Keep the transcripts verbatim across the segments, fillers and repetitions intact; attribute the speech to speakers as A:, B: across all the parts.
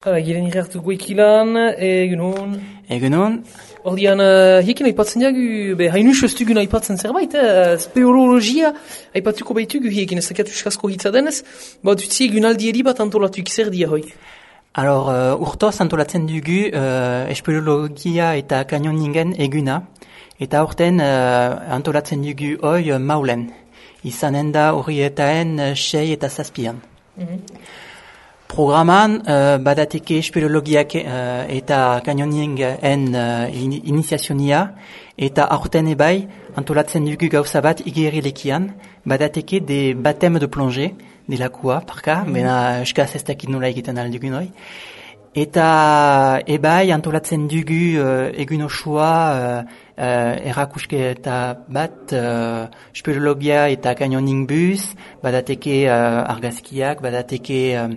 A: Hala, giren irrartu goikilan, egunon.
B: Egunon.
A: Ordian, uh, hiekin aipatzen diagu, be, hainu sostugun aipatzen zerbait, eh? Speurologia aipatuko baitugu hiekin, ez dakatu eskasko hitza denez, bat utzi egun aldieri bat antolatuik zer dia hoi.
B: Alors, uh, urtoz antolatzen dugu uh, espeleologia eta kanioningen eguna, eta urten uh, antolatzen dugu hoi uh, maulen, izanen da horietaen uh, sei eta zazpian. Mm-hmm. Programan uh, badateke espeleologiak uh, eta kanioningen uh, in, iniziazionia, eta aurten ebai antolatzen dugu gauza bat igerilekian, badateke de batem de plongé, delakua, parka, mm-hmm. Bena eskaz ez dakit nola egiten aldugu noi. Eta ebai antolatzen dugu uh, egun osua uh, uh, erakusketa bat uh, speleologia eta kanioning bus, badateke uh, argazkiak, badateke uh,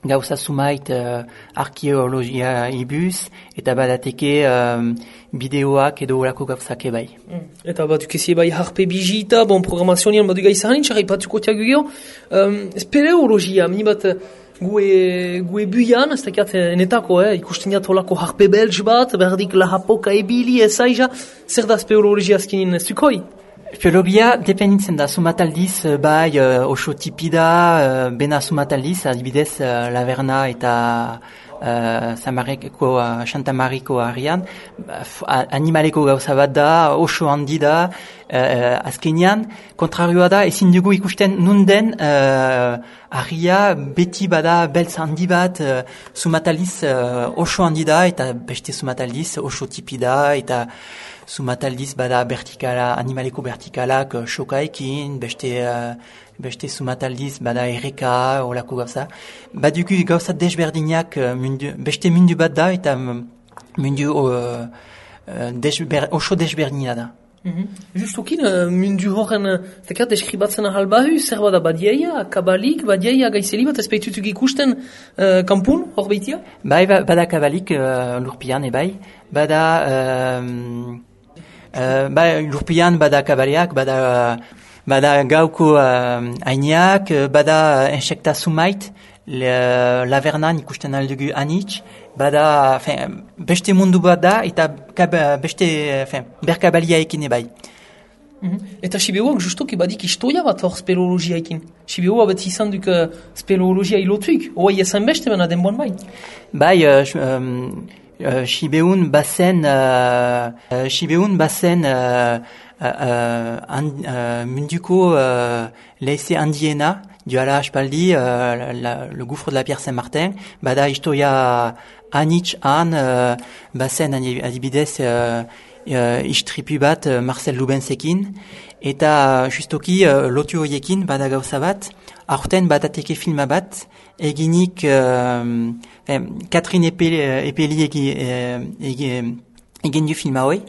B: gauza sumait uh, arkeologia ibuz, eta badateke um, bideoak edo horako gauzak ebai.
A: Mm. Eta bat dukezi ebai harpe bizita, bon programazionian bat dugai zahanin, txarri patuko tiago geho, um, speleologia, mini bat gue, gue buian, ez dakiat enetako, eh, ikusten jat holako harpe belge bat, berdik lahapoka ebili, ezaiza, zer da speleologia azkinin zukoi?
B: Speleologia dependitzen da, sumataldiz, bai, uh, oso tipida, uh, bena sumataldiz, adibidez, uh, Laverna eta uh, Samareko, uh, Santamariko harrian, uh, animaleko gauza bat da, oso handi da, uh, azkenean, kontrarioa da, ezin dugu ikusten nunden uh, harria beti bada beltz handi bat, uh, sumataldiz uh, oso handi da, eta beste sumataldiz oso tipida, eta sumataldiz bada vertikala, animaleko vertikalak uh, shokaekin, beste, uh, beste sumataldiz bada erreka, olako gauza. Badugu gauza desberdinak uh, mundu, beste mundu bat da, eta mundu uh, uh, desber, oso desberdina da.
A: Mm-hmm. Justokin, uh, mundu horren, zekat, deskribatzen ahal bahu, zer bada badieia, kabalik, badieia gaizeli bat, ez behitutuk ikusten uh, kampun, hor behitia?
B: Bai, bada kabalik uh, lurpian, ebai, bada... Um, Uh, ba, lurpian bada kabaleak, bada, bada gauko uh, hainiak, bada insekta sumait, le, lavernan ikusten aldugu anitz, bada, fin, beste mundu bat da, eta kaba, beste, fin, berkabalia ekin ebai.
A: Mm-hmm. Eta Siberuak justoki badik historia bat hor speleologia ekin. Siberua bat izan duk uh, speleologia ilotuik, oai esan beste bena denboan bai.
B: Bai, uh, um, Uh, Sibeun bazen uh, uh, Sibeun bazen uh, uh, uh, and, uh, munduko uh, leize handiena duala aspaldi uh, la, le gouffre de la Pierre Saint-Martin, bada historia anitz han uh, bazen adibidez uh, uh, istripu bat uh, Marcel Lubensekin, eta justoki uh, lotu horiekin bada gauza bat, aurten badateke filma bat, eginik uh, Catherine Epeli, Epeli egi, egi, egin du filma hoi,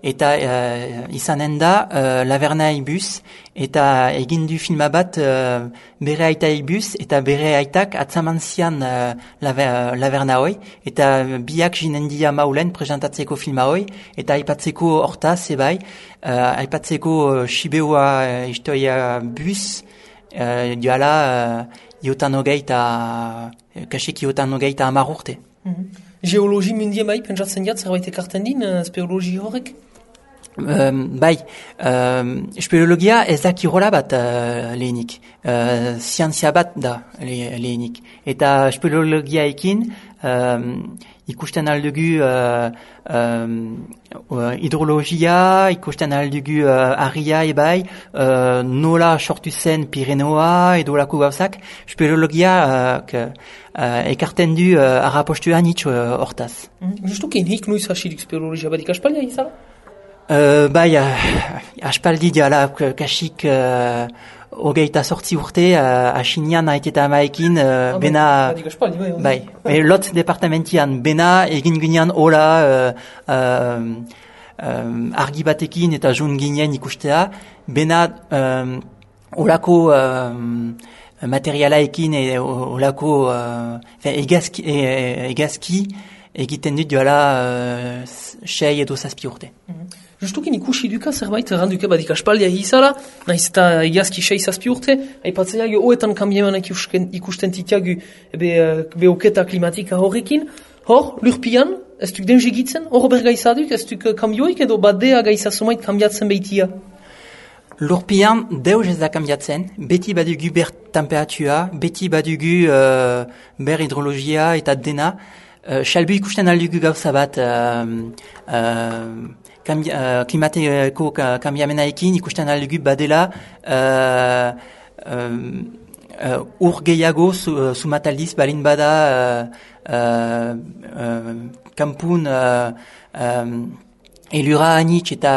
B: eta uh, izanen da uh, Laverna ibuz, eta egin du filma bat uh, bere aita ibuz, eta bere aitak atzaman zian uh, Laverna hoi, eta biak jinen dia maulen presentatzeko filma hoi, eta aipatzeko hortaz ebai, uh, aipatzeko uh, Sibeua uh, historia buz, uh, duala uh, iotan hogeita, kasik iotan hogeita amar urte.
A: Mm-hmm. Geologi mundien bai, pentsatzen jat, zerbait ekarten din, uh, speleologi horrek?
B: Um, bai, um, speleologia ez da kirola bat uh, lehenik, uh, zientzia bat da le, lehenik. Eta speleologia ekin, um, ikusten aldugu uh, um, uh, hidrologia, ikusten aldugu uh, harria ebai, uh, nola sortu zen Pirenoa edo lako gauzak, speleologia uh, uh, ekarten du uh, arrapostu anitz uh, hortaz.
A: Mm-hmm. Justukin hik nuiz hasidik speleologia badik aspaldia izala?
B: Uh, bai, uh, aspaldi diala kasik uh, hogeita sortzi urte, uh, asinian haiteta amaekin, uh, ah, bena...
A: Badik aspaldi, bai.
B: Bai, bai lot departamentian, bena egin ginean hola uh, uh, um, argi batekin eta jun ginen ikustea, bena um, holako um, materialaekin e holako uh, egazki, e, egazki egiten dut duela uh, sei edo zazpi urte.
A: Mm-hmm. Justukin ikusi duka zerbait erranduke badik aspaldia hizala, nahiz eta egiazki sei zazpi urte, aipatzea jo oetan kambiemanak ikusten titiagu be, be oketa klimatika horrekin. Hor, lurpian, ez duk denje gitzen, hor bergaizaduk, ez duk kambioik edo badea gaizasumait kambiatzen behitia?
B: Lurpian deus ez da kambiatzen, beti badugu ber temperatua, beti badugu uh, ber hidrologia eta dena. Uh, Xalbu ikusten aldugu gauza bat uh, uh, kambi, uh, klimateko kambiamenaekin ikusten aldugu badela uh, uh, uh, ur gehiago sumataldiz balin bada uh, uh, uh, kampun uh, um, elura anitz eta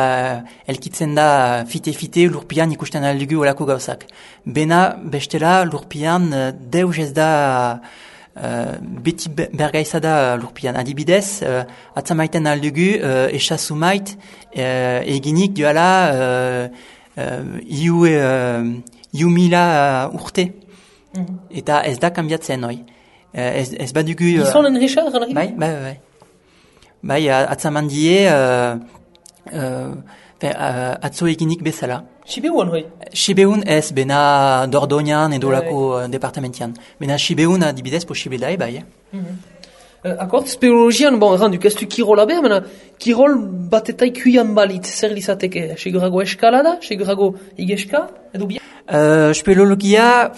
B: elkitzen da fite-fite lurpian ikusten aldugu olako gauzak. Bena bestela lurpian uh, deus ez da Uh, beti bergaizada lurpian. Adibidez, uh, atzamaiten aldugu uh, esasumait uh, eginik duala uh, uh, iu, uh, iu mila uh, urte. Mm-hmm. Eta ez da kambiatzen hoi. Uh, ez, ez badugu... Uh,
A: Gizonen resa, gana
B: bai, bai, bai. Bai, atzaman die uh, uh, uh, atzo eginik bezala.
A: Sibeun hoi?
B: Sibeun ez, bena Dordoñan edo lako uh, departamentian. Bena Sibeun adibidez posible da ebai. Eh?
A: Mm-hmm. uh, Akort, speleologian, bon, erranduk, ez du kirola behar, mena kirol batetai kuian balit, zer lizateke? Segurago eskalada, segurago igeska, edo bia?
B: Uh, speleologia,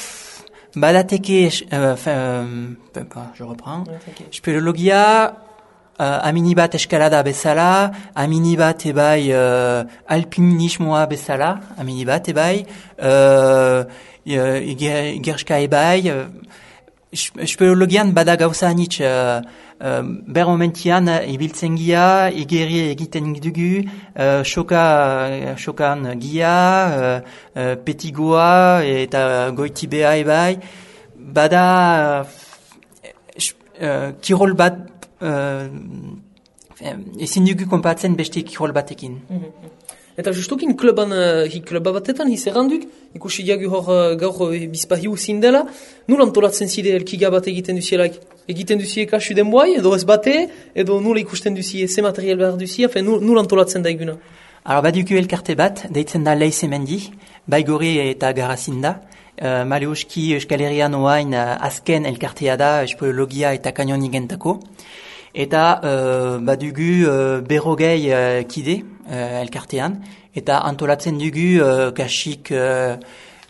B: badateke, uh, uh, je reprends, okay. Speleologia, Uh, amini bat eskalada bezala, amini bat ebai uh, alpinismoa bezala, amini bat ebai, uh, gerska ebai, uh, speleologian bada gauza anitz, uh, uh, ber momentian ibiltzen gia, igeri egiten dugu, uh, soka, sokan gia, uh, uh, petigoa eta goitibea ebai, bada uh, kirol bat, Uh, ezin dugu konpatzen beste kirol batekin.
A: Mm-hmm. Eta justukin kluban, uh, kluba batetan hiz erranduk, ikusi diagu hor uh, gaur uh, bizpahiu zindela, nul antolatzen zide elkiga bat egiten duzielaik? Egiten duzie kasu denboai, edo ez bate, edo nula ikusten duzie ze material behar duzie, afen nul, nul antolatzen da eguna?
B: Alors badugu elkarte bat, deitzen da Leizemendi, Baigori eta Garazinda. Uh, Maleuski Euskal Herrian oain uh, azken elkartea da speleologia eta kanionigentako. Eta uh, badugu uh, berrogei uh, kide uh, elkartean. Eta antolatzen dugu uh, kasik uh,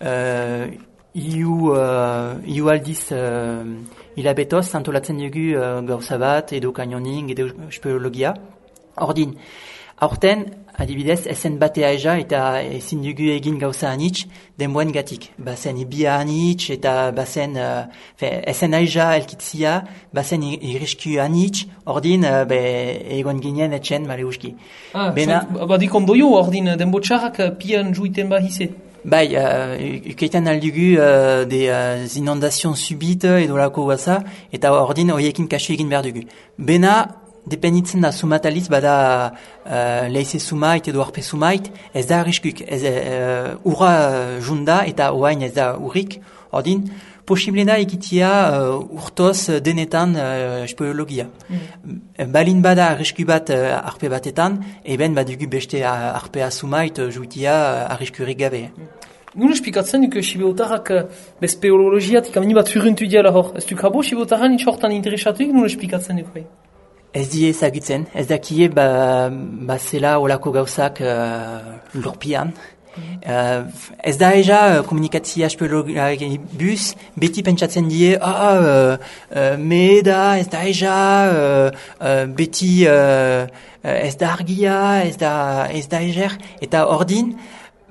B: uh, iu, uh, iu aldiz uh, hilabetoz antolatzen dugu uh, gauza bat edo kanioning edo speleologia. Ordin, aurten, adibidez, esen batea eza eta ezin dugu egin gauza anitz denboen gatik. Bazen ibia anitz eta bazen uh, esen aiza elkitzia, bazen irrisku anitz, ordin uh, be, egon ginen etxen maleuski.
A: Ah, Bena, badik ondoio ordin denbo txarrak pian juiten bahize.
B: Bai, uh, ukeiten aldugu uh, de uh, inondazion subite edo lako guaza, eta ordin horiekin kasu egin behar dugu. Bena, dependitzen da sumataliz bada uh, leize sumait edo arpe sumait, ez da arriskuk, ez uh, urra junda eta oain ez da urrik, ordin, posible da egitea uh, urtoz denetan uh, speleologia. Mm. Balin bada arrisku bat uh, arpe batetan, eben badugu beste uh, arpea sumait uh, juitia uh, arriskurik gabe. Mm.
A: Nun espikatzen duk sibeotarrak bez speleologiatik amini bat zurrentu diala hor. Ez duk habo sibeotarran itxortan interesatuik, nun espikatzen duk bai?
B: Ez die ezagutzen, ez dakie ba, ba zela olako gauzak uh, lurpian. Mm-hmm. Uh, ez da eza uh, komunikatzia speleologiari bus, beti pentsatzen die, ah, uh, uh, me da, ez da eza, uh, uh, beti uh, uh, ez da argia, ez da, ez da ezer, eta ordin,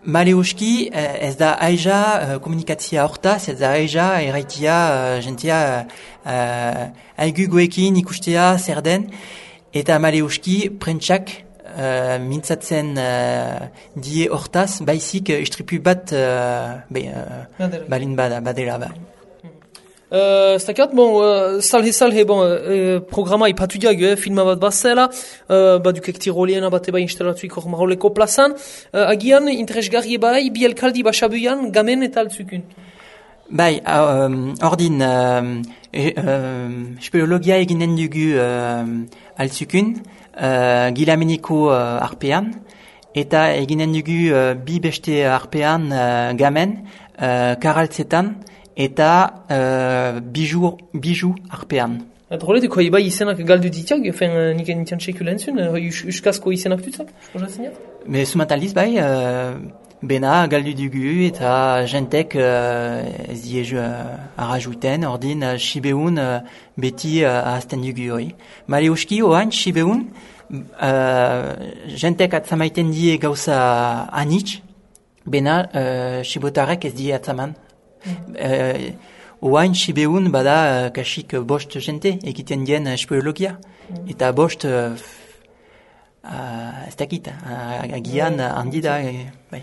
B: maleuski ez da aiza uh, komunikatzia hortaz, ez da aiza erraitia uh, jentia uh, aiguguekin ikustea zer den, eta maleuski prentsak uh, mintzatzen uh, die hortaz, baizik uh, istripu bat uh, be, uh, balin bada, badela ba.
A: Uh, Stakat, bon, uh, salhe-salhe, bon, uh, programa ipatu diag, eh, filma bat bazela, uh, badukek tiroliena bat eba instalatuik hor maroleko plazan, uh, agian interesgarri bai, bi elkaldi basabuian, gamen eta altzukun.
B: Bai, um, ordin, um, e, um, speleologia eginen dugu um, altzukun, uh, gilameniko uh, arpean, eta eginen dugu uh, bi beste arpean uh, gamen, uh, karaltzetan, eta uh, biju, biju arpean.
A: Eta horretik, hoi bai izenak galdu ditiak, fen nik entian txekula entzun, hoi uskazko izenak dutzak, esposatzen jat?
B: Me sumataliz bai, uh, bena galdu dugu eta jentek uh, ez diezu uh, arrajouten, ordin uh, Sibeun uh, beti uh, ahazten dugu hori. Male uski, oain, Sibeun, uh, jentek atzamaiten die gauza anitz, bena uh, Sibotarek ez die atzaman. Mm. Uh, Oain, Sibeun bada uh, kasik bost jente egiten dien uh, speleologia. Mm. Eta bost... Uh, Uh, ez dakit, uh, agian handi da, bai.